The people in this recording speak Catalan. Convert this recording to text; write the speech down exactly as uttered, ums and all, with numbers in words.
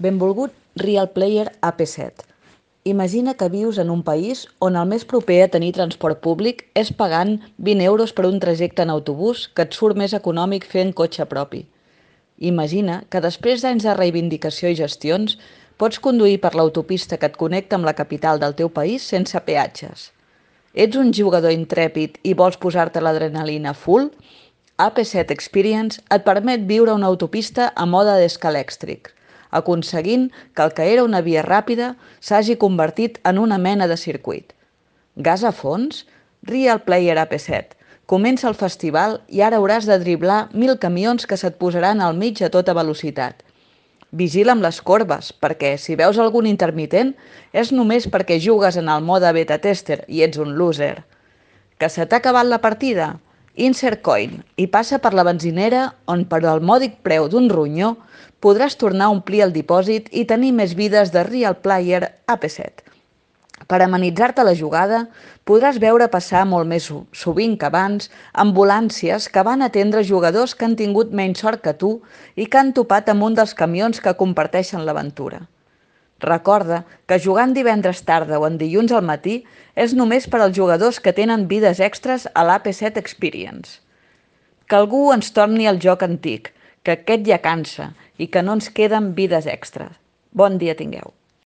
Benvolgut Real Player A P set. Imagina que vius en un país on el més proper a tenir transport públic és pagant vint euros per un trajecte en autobús que et surt més econòmic fer en cotxe propi. Imagina que després d'anys de reivindicació i gestions pots conduir per l'autopista que et connecta amb la capital del teu país sense peatges. Ets un jugador intrèpid i vols posar-te l'adrenalina full? A P set Experience et permet viure una autopista a mode d'escalèxtric, aconseguint que el que era una via ràpida s'hagi convertit en una mena de circuit. Gas a fons? Real Player A P set. Comença el festival i ara hauràs de driblar mil camions que se't posaran al mig a tota velocitat. Vigila amb les corbes, perquè si veus algun intermitent és només perquè jugues en el mode beta tester i ets un loser. Que se t'ha acabat la partida? Insert coin i passa per la benzinera on per al mòdic preu d'un ronyó podràs tornar a omplir el dipòsit i tenir més vides de Real Player A P set. Per amenitzar-te la jugada, podràs veure passar molt més sovint que abans ambulàncies que van atendre jugadors que han tingut menys sort que tu i que han topat amb un dels camions que comparteixen l'aventura. Recorda que jugant divendres tarda o en dilluns al matí és només per als jugadors que tenen vides extres a l'A P set Experience. Que algú ens torni al joc antic, que aquest ja cansa i que no ens queden vides extres. Bon dia tingueu.